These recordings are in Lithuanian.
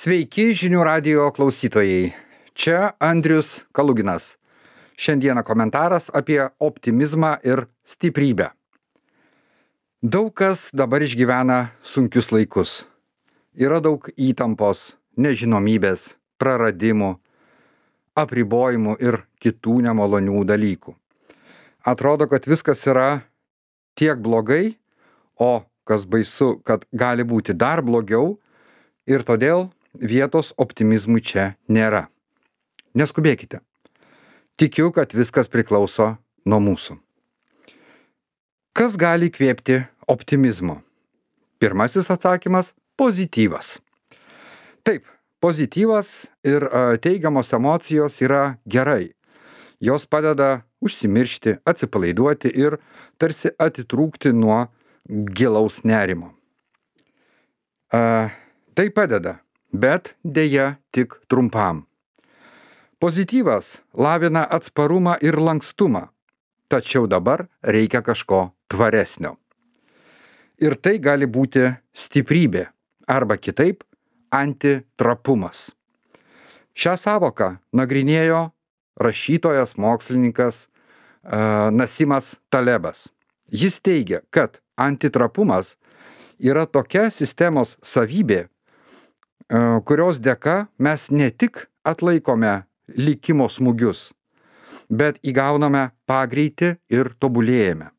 Sveiki žinių radijo klausytojai. Čia Andrius Kaluginas. Šiandieną komentaras apie optimizmą ir stiprybę. Daug kas dabar išgyvena sunkius laikus. Yra daug įtampos, nežinomybės, praradimų, apribojimų ir kitų nemalonių dalykų. Atrodo, kad viskas yra tiek blogai, o kas baisu, kad gali būti dar blogiau ir todėl vietos optimizmui čia nėra. Neskubėkite. Tikiu, kad viskas priklauso nuo mūsų. Kas gali įkvėpti optimizmo? Pirmasis atsakymas – pozityvas. Taip, pozityvas ir teigiamos emocijos yra gerai. Jos padeda užsimiršti, atsipalaiduoti ir tarsi atitrūkti nuo gilaus nerimo. Tai padeda, bet deja tik trumpam. Pozityvas lavina atsparumą ir lankstumą, tačiau dabar reikia kažko tvaresnio. Ir tai gali būti stiprybė arba kitaip antitrapumas. Šią savoką nagrinėjo rašytojas, mokslininkas Nasimas Talebas. Jis teigia, kad antitrapumas yra tokia sistemos savybė, kurios dėka mes ne tik atlaikome likimo smūgius, bet įgauname pagreitį ir tobulėjame.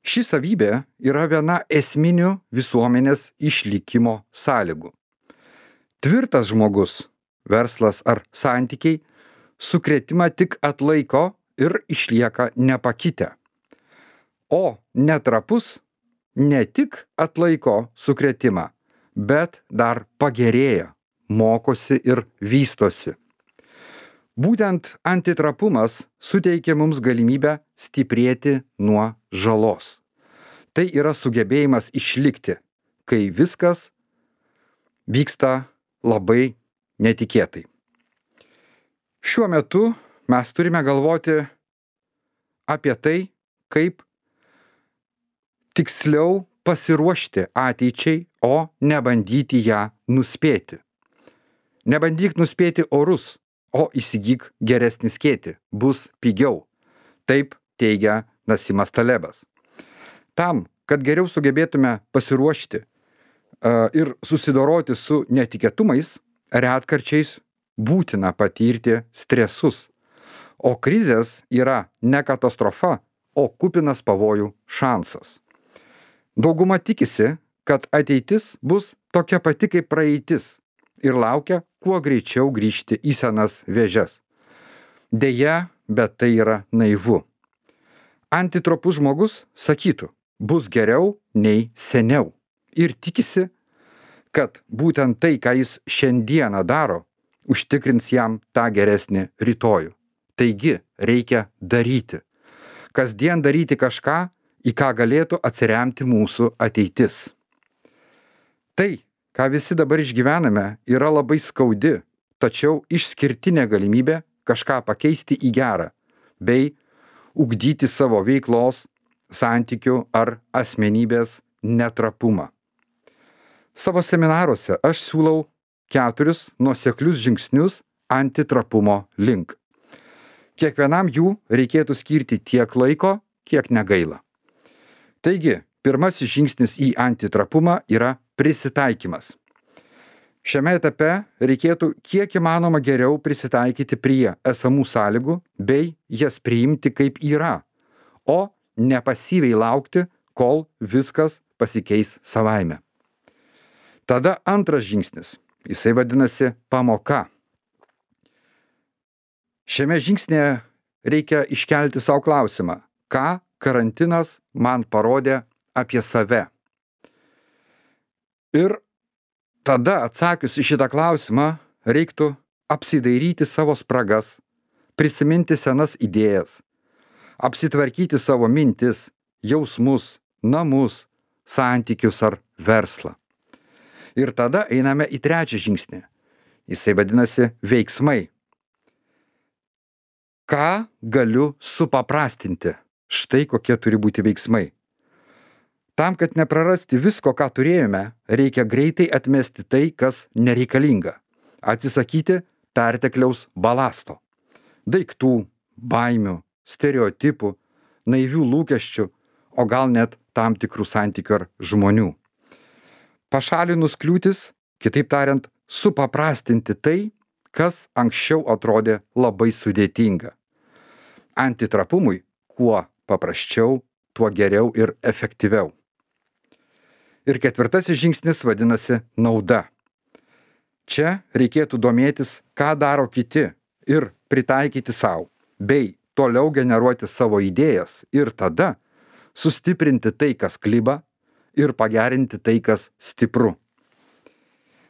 Ši savybė yra viena esminių visuomenės išlikimo sąlygų. Tvirtas žmogus, verslas ar santykiai sukrėtimą tik atlaiko ir išlieka nepakitę. O netrapus ne tik atlaiko sukrėtimą, bet dar pagerėja, mokosi ir vystosi. Būtent antitrapumas suteikia mums galimybę stiprėti nuo žalos. Tai yra sugebėjimas išlikti, kai viskas vyksta labai netikėtai. Šiuo metu mes turime galvoti apie tai, kaip tiksliau pasiruošti ateičiai, o nebandyti ją nuspėti. Nebandyk nuspėti orus, o įsigyk geresnį skėtį, bus pigiau. Taip teigia Nasimas Talebas. Tam, kad geriau sugebėtume pasiruošti ir susidoroti su netikėtumais, retkarčiais būtina patirti stresus. O krizės yra ne katastrofa, o kupinas pavojų šansas. Dauguma tikisi, kad ateitis bus tokia pati kaip praeitis ir laukia kuo greičiau grįžti į senas vėžes. Deja, bet tai yra naivu. Antitropus žmogus sakytų, bus geriau nei seniau ir tikisi, kad būtent tai, ką jis šiandieną daro, užtikrins jam tą geresnį rytojų. Taigi reikia daryti. Kasdien daryti kažką, į ką galėtų atsiremti mūsų ateitis. Tai, ką visi dabar išgyvename, yra labai skaudi, tačiau išskirtinė galimybė kažką pakeisti į gerą, bei ugdyti savo veiklos, santykių ar asmenybės netrapumą. Savo seminaruose aš siūlau 4 nuoseklius žingsnius antitrapumo link. Kiekvienam jų reikėtų skirti tiek laiko, kiek negaila. Taigi, pirmasis žingsnis į antitrapumą yra prisitaikymas. Šiame etape reikėtų kiek įmanoma geriau prisitaikyti prie esamų sąlygų bei jas priimti kaip yra, o ne pasyviai laukti, kol viskas pasikeis savaime. Tada antras žingsnis. Jisai vadinasi pamoka. Šiame žingsnėje reikia iškelti savo klausimą, ką karantinas man parodė apie save. Ir tada atsakius į šitą klausimą reiktų apsidairyti savo spragas, prisiminti senas idėjas, apsitvarkyti savo mintis, jausmus, namus, santykius ar verslą. Ir tada einame į trečią žingsnį. Jisai vadinasi veiksmai. Ką galiu supaprastinti? Štai kokie turi būti veiksmai. Tam, kad neprarasti visko, ką turėjome, reikia greitai atmesti tai, kas nereikalinga. Atsisakyti pertekliaus balasto. Daiktų, baimių, stereotipų, naivių lūkesčių, o gal net tam tikrų santykių ar žmonių. Pašalinus kliūtis, kitaip tariant, supaprastinti tai, kas anksčiau atrodė labai sudėtinga. Antitrapumui kuo paprasčiau, tuo geriau ir efektyviau. Ir ketvirtasis žingsnis vadinasi nauda. Čia reikėtų domėtis, ką daro kiti ir pritaikyti savo, bei toliau generuoti savo idėjas ir tada sustiprinti tai, kas kliba ir pagerinti tai, kas stipru.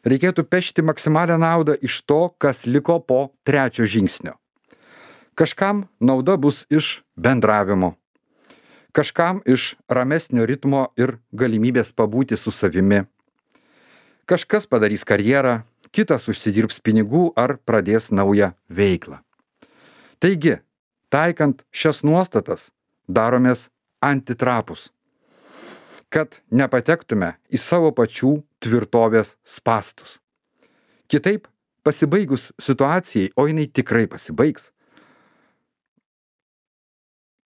Reikėtų pešti maksimalią naudą iš to, kas liko po trečio žingsnio. Kažkam nauda bus iš bendravimo, kažkam iš ramesnio ritmo ir galimybės pabūti su savimi. Kažkas padarys karjerą, kitas užsidirbs pinigų ar pradės naują veiklą. Taigi, taikant šias nuostatas, daromės antitrapus, kad nepatektume į savo pačių tvirtovės spąstus. Kitaip, pasibaigus situacijai, o jinai tikrai pasibaigs,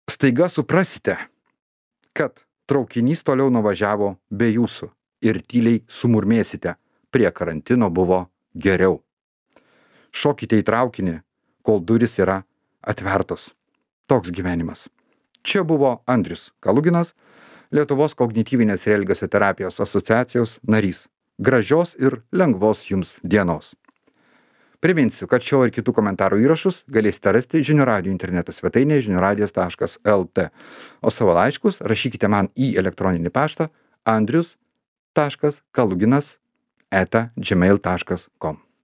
staiga suprasite, kad traukinys toliau nuvažiavo be jūsų ir tyliai sumurmėsite, prie karantino buvo geriau. Šokite į traukinį, kol durys yra atvertos. Toks gyvenimas. Čia buvo Andrius Kaluginas, Lietuvos kognityvinės ir elgesio terapijos asociacijos narys. Gražios ir lengvos jums dienos. Priminsiu, kad šio ir kitų komentarų įrašus galėsite rasti Žinių radijo interneto svetainėje žiniuradijas.lt, o savo laiškus rašykite man į elektroninį paštą andrius.kaluginas@gmail.com.